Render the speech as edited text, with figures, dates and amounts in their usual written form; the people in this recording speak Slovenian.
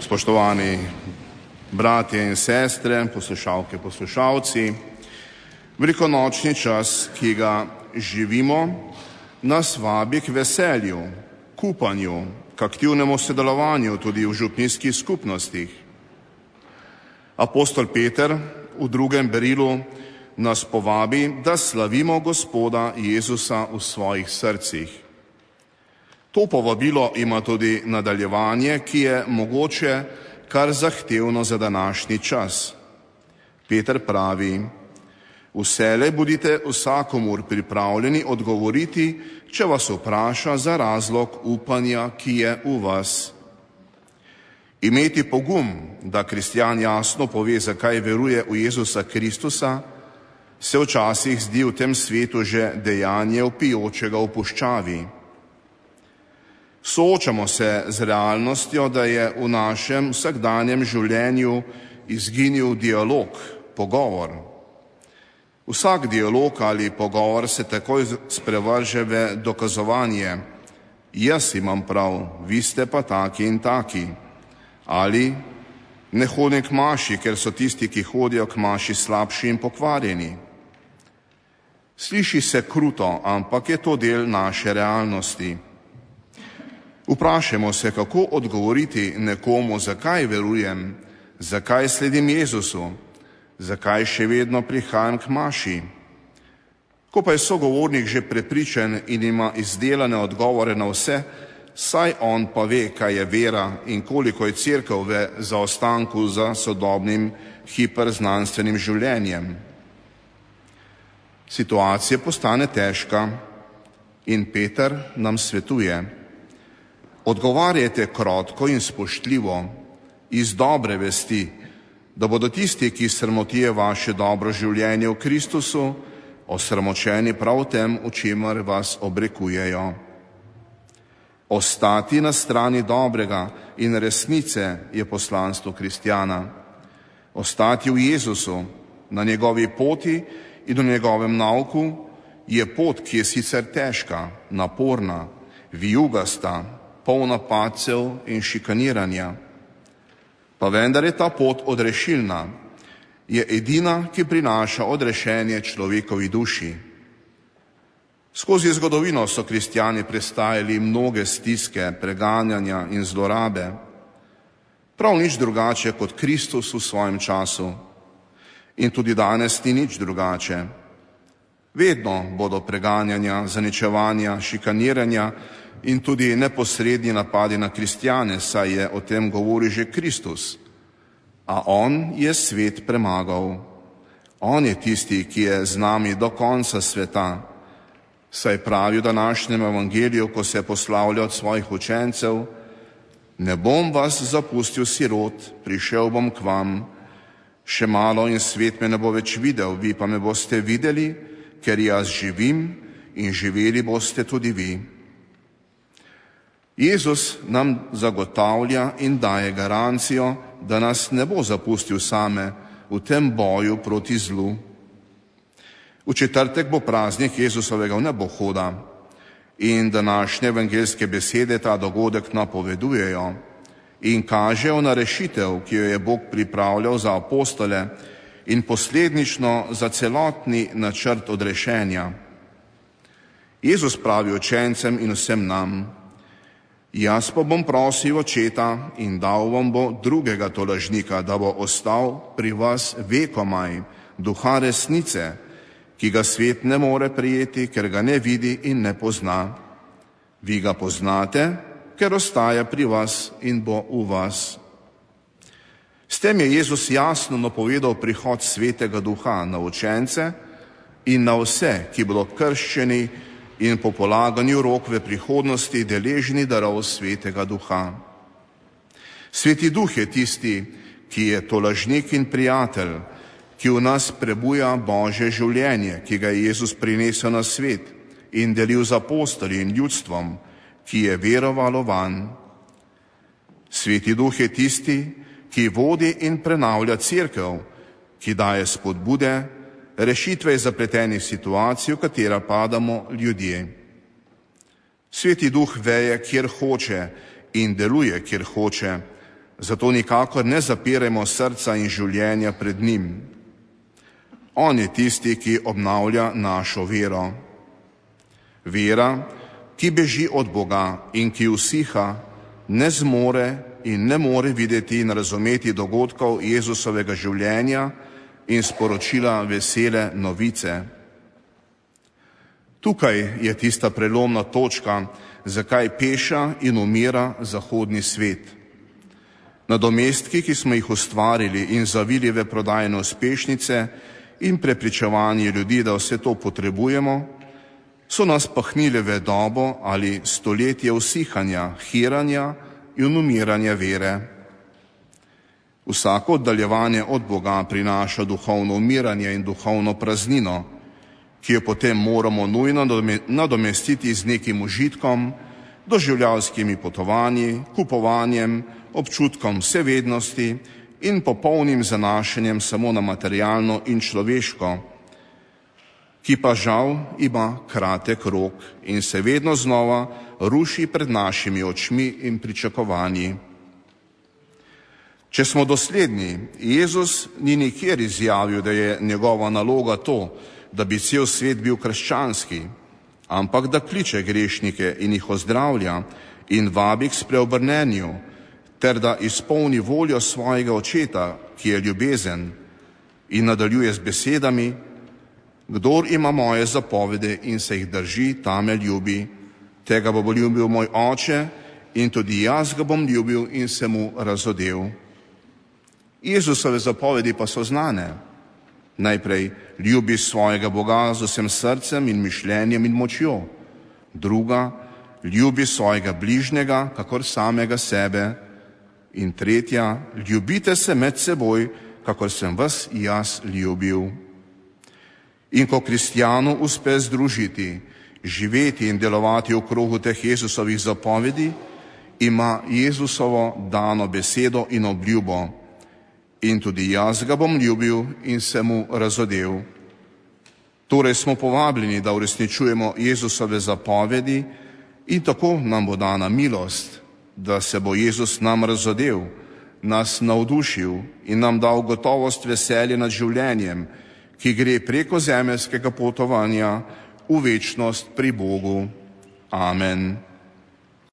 Spoštovani bratje in sestre, poslušalke, poslušalci, velikonočni čas, ki ga živimo, nas vabi k veselju, k upanju, k aktivnemu sodelovanju tudi v župnijskih skupnostih. Apostol Peter v drugem berilu nas povabi, da slavimo Gospoda Jezusa v svojih srcih. To povabilo ima tudi nadaljevanje, ki je mogoče kar zahtevno za današnji čas. Peter pravi: vselej bodite vsakomur pripravljeni odgovoriti, če vas vpraša za razlog upanja, ki je v vas. Imeti pogum, da kristjan jasno pove, zakaj veruje v Jezusa Kristusa, se včasih zdi v tem svetu že dejanje vpijočega v puščavi. Soočamo se z realnostjo, da je v našem vsakdanjem življenju izginil dialog, pogovor. Vsak dialog ali pogovor se takoj sprevrže v dokazovanje: jaz imam prav, vi ste pa taki in taki. Ali ne hodim k maši, ker so tisti, ki hodijo k maši, slabši in pokvarjeni. Sliši se kruto, ampak je to del naše realnosti. Vprašajmo se, kako odgovoriti nekomu, zakaj verujem, zakaj sledim Jezusu, zakaj še vedno prihajam k maši. Ko pa je sogovornik že prepričan in ima izdelane odgovore na vse, saj on pa ve, kaj je vera in koliko je cerkev v zaostanku za sodobnim hiperznanstvenim življenjem. Situacija postane težka in Peter nam svetuje: odgovarjajte krotko in spoštljivo, iz dobre vesti, da bodo tisti, ki sramotijo vaše dobro življenje v Kristusu, osramočeni prav tem, v čemer vas obrekujejo. Ostati na strani dobrega in resnice je poslanstvo kristjana. Ostati v Jezusu, na njegovi poti in v njegovem nauku, je pot, ki je sicer težka, naporna, vijugasta, polna padcev in šikaniranja. Pa vendar je ta pot odrešilna, je edina, ki prinaša odrešenje človekovi duši. Skozi zgodovino so kristjani prestajali mnoge stiske, preganjanja in zlorabe. Prav nič drugače kot Kristus v svojem času. In tudi danes ni nič drugače. Vedno bodo preganjanja, zaničevanja, šikaniranja in tudi neposredni napadi na kristjane, saj je o tem govoril že Kristus. A on je svet premagal. On je tisti, ki je z nami do konca sveta. Saj pravi v današnjem evangeliju, ko se poslavlja od svojih učencev: ne bom vas zapustil sirot, prišel bom k vam. Še malo in svet me ne bo več videl, vi pa me boste videli, ker jaz živim in živeli boste tudi vi. Jezus nam zagotavlja in daje garancijo, da nas ne bo zapustil same v tem boju proti zlu. V četrtek bo praznik Jezusovega vnebohoda in današnje evangeljske besede ta dogodek napovedujejo in kažejo na rešitev, ki jo je Bog pripravljal za apostole in posledično za celotni načrt odrešenja. Jezus pravi učencem in vsem nam: jaz pa bom prosil Očeta in dal vam bo drugega tolažnika, da bo ostal pri vas vekomaj, Duha resnice, ki ga svet ne more prijeti, ker ga ne vidi in ne pozna. Vi ga poznate, ker ostaja pri vas in bo v vas. S tem je Jezus jasno napovedal prihod Svetega Duha na učence in na vse, ki bodo krščeni in po polaganju rok v prihodnosti deležni darov Svetega Duha. Sveti Duh je tisti, ki je tolažnik in prijatelj, ki v nas prebuja Božje življenje, ki ga je Jezus prinesel na svet in delil z apostoli in ljudstvom, ki je verovalo vanj. Sveti Duh je tisti, ki vodi in prenavlja cerkev, ki daje spodbude, rešitve iz zapletenih situacij, v katera padamo ljudje. Sveti Duh veje, kjer hoče in deluje, kjer hoče, Zato nikakor ne zapirajmo srca in življenja pred njim. On je tisti, ki obnavlja našo vero. Vera, ki beži od Boga in ki usiha, ne zmore in ne more videti in razumeti dogodkov Jezusovega življenja in sporočila vesele novice. Tukaj je tista prelomna točka, zakaj peša in umira zahodni svet. Nadomestki, ki smo jih ustvarili in zavili v prodajne uspešnice in prepričevanje ljudi, da vse to potrebujemo, so nas pahnili v dobo ali stoletje usihanja, hiranja in umiranja vere. Vsako oddaljevanje od Boga prinaša duhovno umiranje in duhovno praznino, ki jo potem moramo nujno nadomestiti z nekim užitkom, doživljavskimi potovanji, kupovanjem, občutkom vsevednosti in popolnim zanašanjem samo na materialno in človeško, ki pa žal ima kratek rok in se vedno znova ruši pred našimi očmi in pričakovanji. Če smo dosledni, Jezus ni nikjer izjavil, da je njegova naloga to, da bi cel svet bil krščanski, ampak da kliče grešnike in jih ozdravlja in vabi k spreobrnenju, ter da izpolni voljo svojega očeta, ki je ljubezen, in nadaljuje z besedami: kdor ima moje zapovedi in se jih drži, ta me ljubi, tega bo ljubil moj oče in tudi jaz ga bom ljubil in se mu razodel. Jezusove zapovedi pa so znane. Najprej ljubi svojega Boga z vsem srcem in mišljenjem in močjo. Druga, ljubi svojega bližnjega, kakor samega sebe. In tretja, ljubite se med seboj, kakor sem vas jaz ljubil. In ko kristjanu uspe združiti, živeti in delovati v krogu teh Jezusovih zapovedi, ima Jezusovo dano besedo in obljubo: in tudi jaz ga bom ljubil in se mu razodel. Torej smo povabljeni, da uresničujemo Jezusove zapovedi in tako nam bo dana milost, da se bo Jezus nam razodel, nas navdušil in nam dal gotovost veselja nad življenjem, ki gre preko zemeljskega potovanja v večnost pri Bogu. Amen.